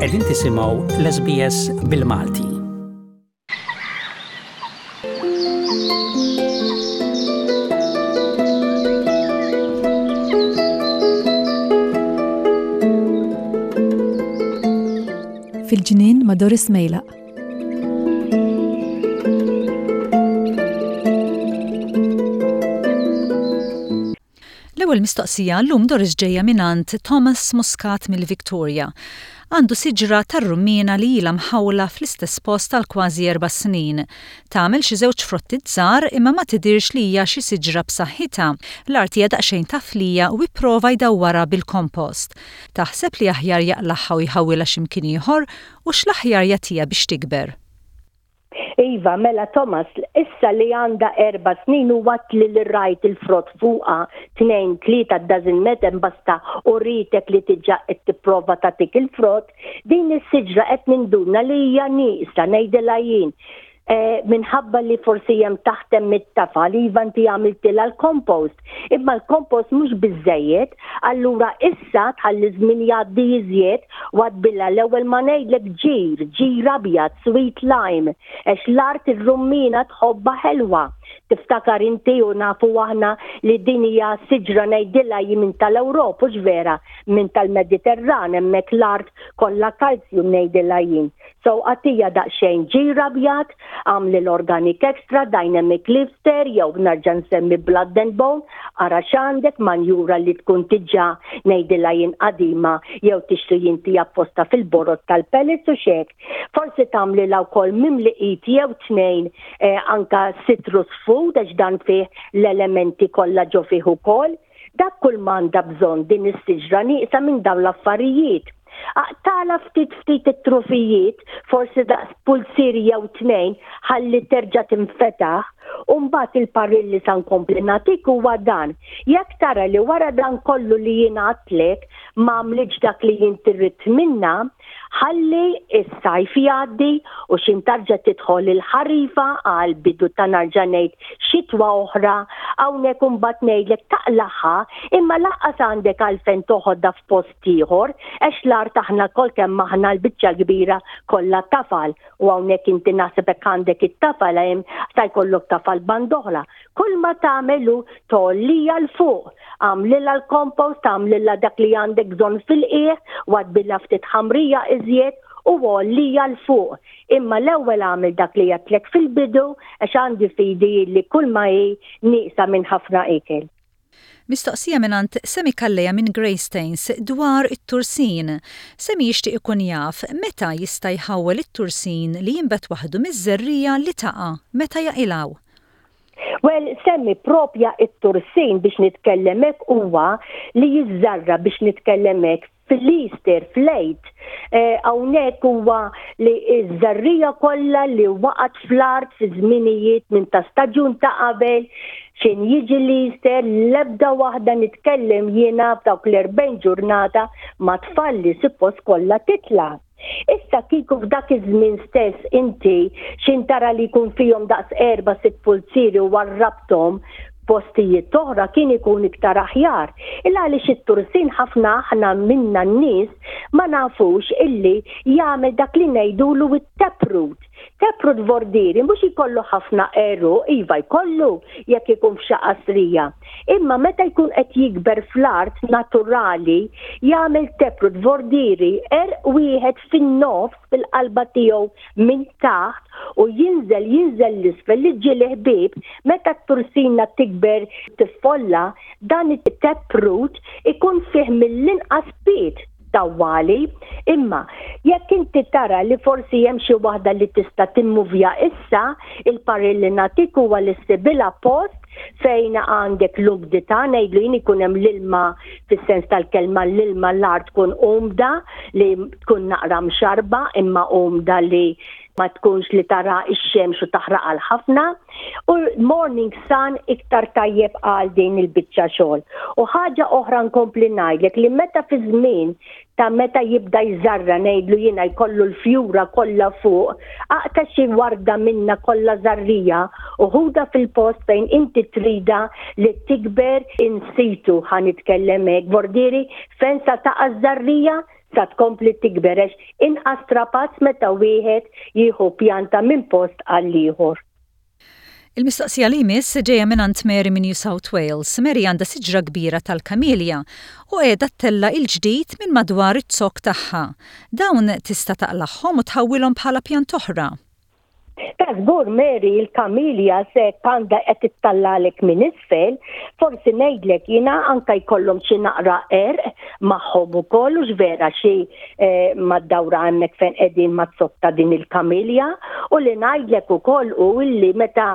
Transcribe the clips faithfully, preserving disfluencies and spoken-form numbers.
Qegħdin tisimgħu l-S B S bil-Malti. Fil-ġnien ma' Doris Mejlaq. L-ewwel mistoqsija llum, Doris, ġejja mingħand Thomas Muscat mill-Victoria. Għandu siġra tar-rummina li ilha mħawla fl-istess post għal kważi erba' snin. Tagħmel xi żewġ frotti żgħar, imma ma tidirx li hija xi siġra b'saħħitha. L-art hija daqsxejn taflija u ipprova jdawwarha bil-kompost. Taħseb li aħjar jaqlagħha u jħawwilha x'imkien ieħor, u x'l-aħjar jagħtiha biex tikber? Iva, mela Thomas, issa li għandha erba' snin u għat li l-rajt il-frott fuqha tnejn, tlieta, doesn't matter, basta u ritek li diġà qed tipprova tagħtik il-frott, din is-siġra qed ninduna li hija nieqsa, ngħidilha jien. Eh, minħabba li forsi hemm taħt hemm it-tafal, iva, inti għamiltilha l-compost. Imma l-compost mhux biżejjed, allura issa tħalli żmien jgħaddi iżjed wadbilha, l-ewwel ma ngħidlek, ġir, ġir abjad, sweet lime, għax l-art ir-rummina tħobbha ħelwa. Tiftakar inti u nafu aħna li din hija siġra, ngħidilha minn tal-Ewropa, hux vera, minn tal-Mediterran, hemmhekk l-art kollha kalzju, ngħidilha jien. So agħtiha daqsxejn ġir abjad, għamli l-organic extra, dynamic lifter, jew nerġa' nsemmi blood and bone, ara x'għandek, manjura li tkun diġà, ngħidilha jien, qadima, jew tixtri inti apposta fil-borot tal-pellets u xek. Forsi tagħmlilha wkoll mimli id jew tnejn eh, anka citrus food, għax dan fih l-elementi kollha ġo fih ukoll. Dak kull m'għandha bżonn din is-siġra, nieqsa minn dawn l-affarijiet. Aqtagħlha ftit ftit it-trufijiet, forsi daqs pulzier jew tnejn, ħalli terġa' tinfetaħ, u mbagħad il-parir li sa nkompli nagħtik huwa dan. Jekk tara li wara dan kollu li jien għedtlek ma għamlitx dak li inti trid minnha, ħalli is-sajf jgħaddi u x'ħin terġa' tidħol il-ħarifa għal bidu ta', nerġa' ngħid, xitwa oħra, hawnhekk imbagħad ngħidlek taqlagħha, imma lanqas għandek għalfejn toħodha f'post ieħor, għax l-art aħna kol kemm aħna l-biċċa kbira kollha tafal u hawnhekk inti naħseb hekk għandek it-tafal, hemm sa jkollok tafal band'oħra. Kull ma tagħmelu tgħollija 'l fuq, għamlilha l-kompost, għamlilha dak li għandek bżonn fil-qiegħ, wadbilha ftit ħamrija iżjed u għollija 'l fuq. Imma l-ewwel għamel dak li għedtlek fil-bidu, għax għandi fidi li kull ma hi nieqsa minn ħafna ikel. Mistoqsija mingħand Semi Calleja minn Greystanes dwar it-tursin. Semi jixtieq ikun jaf meta jista' jħawwel it-tursin li jinbet waħdu miż-żerriegħa li taqa' meta jaqilgħu. Well, semmi propja it-tursin, biex nitkellem hekk, huwa li jiżżarra, biex nitkellem hekk, fil-Easter, fl-Għid. Eh, hawnhekk huwa li iż-żerriegħa kollha li waqgħet fl-art fi żminijiet minn ta' staġun ta' qabel, x'ħin jiġi l-Easter, l-ebda waħda, nitkellem jiena, f'dawk l-erbgħin ġurnata ma tfalli, suppost kollha titla'. Issa kieku f'dak iż-żmien stess inti x'ħin tara li jkun fihom daqs erba' sitt pulzieri u warrabthom postijiet oħra, kien ikun iktar aħjar. Illa għaliex it-tursin ħafna aħna minna n-nies ma nafux illi jagħmel dak li ngħidulu it-taproot. Taproot vordiri mhux jkollu ħafna għeruq, iva, jkollu jekk ikun f'xi qasrija. Imma meta jkun qed jikber fl-art naturali jagħmel taproot, vordiri għerq wieħed fin-nofs, fil-qalba tiegħu minn taħt, u jinżel jinżel 'l isfel li ġieli, ħbieb, meta t-tursina tikber tiffolla, dan it-taproot ikun fih mill-inqas pied tawwali. Imma jekk inti tara li forsi hemm xi waħda li tista' timmuvja issa, il-parir li nagħtik huwa li ssibilha post fejn għandek l-umdità, ngħidlu jien, ikun hemm l-ilma, fis-sens tal-kelma l-ilma, l-art tkun umda, li tkun naqra mxarba imma umda, li ma tkunx li tara ix-xemx u taħraq għal ħafna, u morning sun iktar tajjeb għal din il-biċċa xogħol. U ħaġa oħra nkompli ngħidlek li meta fi żmien ta' meta jibda jżarra, ngħidlu jiena, jkollu l-fjura kollha fuq, aqta' xi warda minna kollha żarrija u ħudha fil-post fejn inti trida li tikber in situ, ħa nitkellem hekk, vordiri fejn sa taqa' żarrija. Sa tkompli tikber għax inqas strapazz meta wieħed jieħu pjanta minn post għal ieħor. Il-mistoqsija li jmiss ġejja minn Mary minn New South Wales. Mary għandha siġra kbira tal-kamilja u qiegħda ttella' il-ġdid minn madwar iz-zokk tagħha. Dawn tista' taqlagħhom u tħawwilhom bħala pjanta oħra. Ta' żgur, Mary, il-kamilja se għandha qed ittallalek minn isfel, forsi ngħidlek jiena anka jkollhom xi naqra għerq magħhom ukoll u vera xi eh, mad-dawra hemmhekk fejn qegħdin maz-zokk ta' din il-kamilja. U li ngħidlek ukoll u illi meta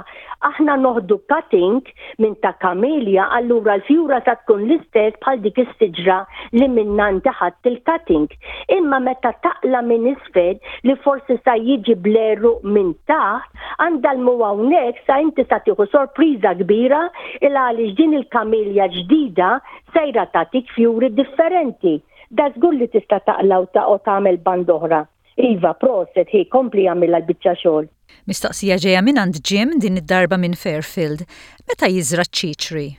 aħna noħdu cutting minn ta' kamilja, allura l-fjura ta' tkun l-istess bħal dik is-siġra li minna inti ħadt il-cutting. Imma meta taqla' minn isfel li forsi sa jiġi bl-għeruq minn taħt, għandal-mu hawnhekk sa inti sa tieħu sorpriża kbira il għaliex din il-kamilja ġdida sejra tagħtik fjuri differenti. Da żgur li tista' taqla' u ta' u tagħmel band oħra. Iva, proset, hi kompli għamilha l-biċċa xogħol. Mistoqsija ġejja minn għand Jim, din id-darba minn Fairfield. Meta jiżra ċ-ċiċri?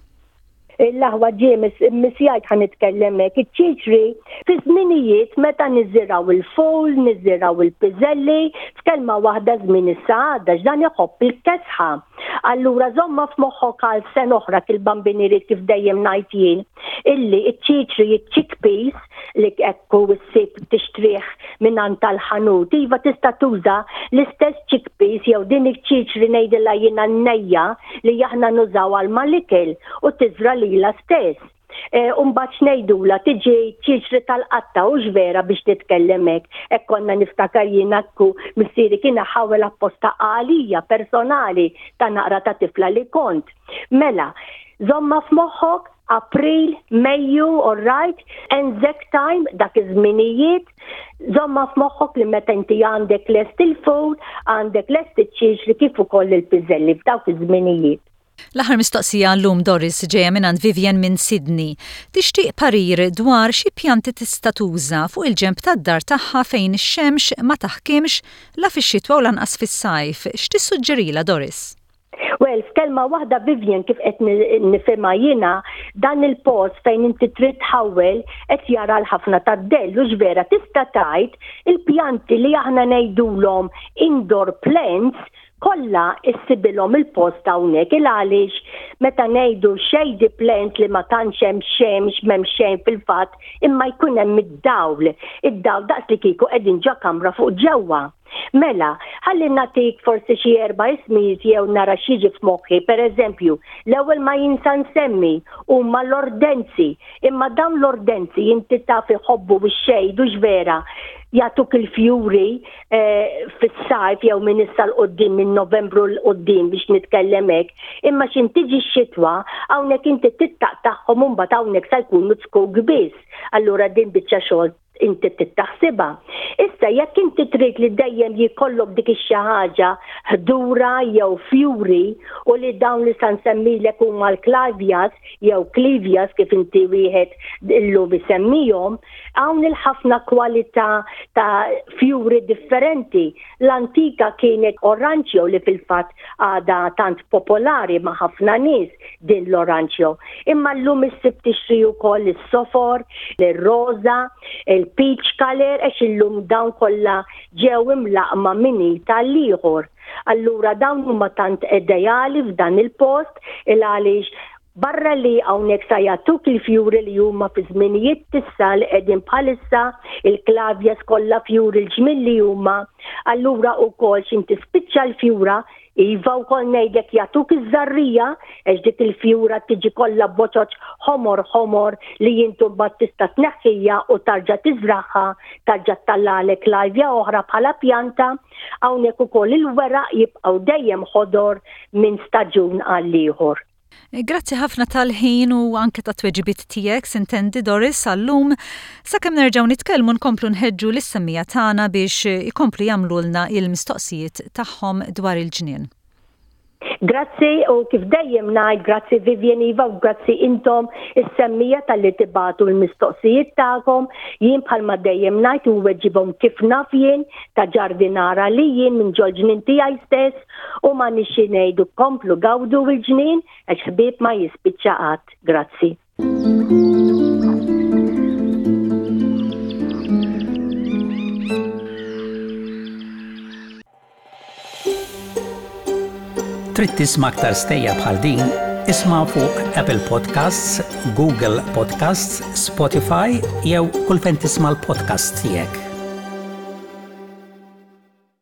L-aħwa Jim, missjajt ħa nitkellem hekk, iċ-ċiċri fi żminijiet meta niżirgħu il-ful, niżirgħu il-piżelli, f'kelma waħda żmien is-saħda, x'dan iħobb il-kesħa. Allura żomma f'moħħok għal sena oħra kil-bambinieri, kif dejjem ngħid jien, illi iċ-ċiċri, iċ-chickpeas li ekku ssib tixtrih minn tal-ħanut, iva, tista' tuża l-istess chickpeas jew din iċ-ċiċri, ngħidilha jiena n-nejja, li aħna nużaw għal mal-ikel u tiżra lila stess. E, Umbagħad ngħidula tiġi ċiċri tal-qatta u vera biex nitkellem hekk. Hekk konna niftakar jiena ku missieri kien ħawel apposta għalija personali ta' naqra ta' tifla li kont. Mela, żomma f'moħħok April, Mejju, all right, Anzac time, dak iż-żminijiet, żomma f'moħħok li meta inti għandek lest il-ful, għandek lest iċ-ċiċri kif ukoll il-piżelli f'dawk iż-żminijiet. L-aħħar mistoqsija llum, Doris, ġejja minn Vivian minn Sydney. Tixtieq parir dwar xi pjanti tista' tuża fuq il-ġenb tad-dar tagħha fejn ix-xemx ma taħkimx la fix-xitwa u lanqas fis-sajf. X'tissuġġerila, Doris? Well, f'kelma waħda, Vivian, kif qed nifhimha jiena, dan il-post fejn inti trid tħawwel qed jara l-ħafna tad-dell u vera tista' tgħid il-pjanti li aħna ngħidulhom indoor plants kollha issibilhom il-post hawnhekk, il għaliex meta ngħidu shady plant li ma tantx hemm xemx, m'hemm xejn fil-fatt, imma jkun hemm id-dawl. Id-dawl daqs li kieku qegħdin ġo kamra fuq ġewwa. Mela, ħalli nagħtik forsi xi erba' ismijiet jew nara x'jiġi f'moħħi. Per eżempju, l-ewwel ma jinsa nsemmi huma l-ortenzi. Imma dawn l-ortenzi inti taf iħobbu bix-shade u vera jagħtuk il-fjuri eh, fis-sajf jew minn issa 'l quddiem, minn Novembru 'l quddiem biex nitkellem hekk. Imma x'ħin tiġi x-xitwa hawnhekk inti tittaqtagħhom u mbagħad hawnhekk sa jkunu zkuk biss. Allura din biċċa xogħol inti tittaħsibha. Issa jekk inti trid li dejjem jkollok dik ix-xi ħaġa ħdura jew fjuri, u li dawn li sa nsemmilek huma l-clivias jew clivias kif inti wieħed illum isemmihom, hawn il-ħafna kwalità ta' fjuri differenti. L-antika kienet oranġjo li fil-fatt għada tant popolari ma' ħafna nies din l-oranġjo. Imma llum issib tixtri wkoll is-sofor, ir-roża, il-peach color, għax illum dawn kollha ġew imlaqma minn tal-ieħor. Allura dawn huma tant ideali f'dan il-post il għaliex barra li hawnhekk sa jagħtuk il-fjuri li huma fi żminijiet tissa li qegħdin bħalissa il-clivias kollha fjuri l-ġmil li huma, allura wkoll x'ħin tispiċċa l-fjura, iva, wkoll ngħidlek jagħtuk iż-żarrija għax dik il-fjura tiġi kollha boċoċ ħomor ħomor li inti mbagħad tista' tneħħija u tarġa' tiżraħha, tarġa' ttellagħlek clivia oħra bħala pjanta. Hawnhekk ukoll il-weraq jibqgħu dejjem ħodor minn staġun għal ieħor. Grazzi ħafna tal-ħin u anke ta' tweġibiet tiegħek, sintendi, Doris, għallum. Sakemm nerġgħu nitkellmu, nkomplu nħeġġu lis-semmiegħa tagħna biex ikomplu jagħmlulna il-mistoqsijiet tagħhom dwar il-ġnien. Grazzi u kif dejjem ngħid, grazzi Vivian, iva, u grazzi intom is-semmiegħa talli tibagħtu l-mistoqsijiet tagħkom. Jien bħalma dejjem ngħid u weġibhom kif naf jien ta' ġardinara li jien minn ġol-ġnien tiegħi stess u ma nixi ngħidu komplu gawdu l-ġnien għax ħbieb ma jispiċċa qatt. Grazzi. Trid tisma' aktar stejjer bħal din? Isma' fuq Apple Podcasts, Google Podcasts, Spotify jew kull fejn tisma' l-podcast tiegħek.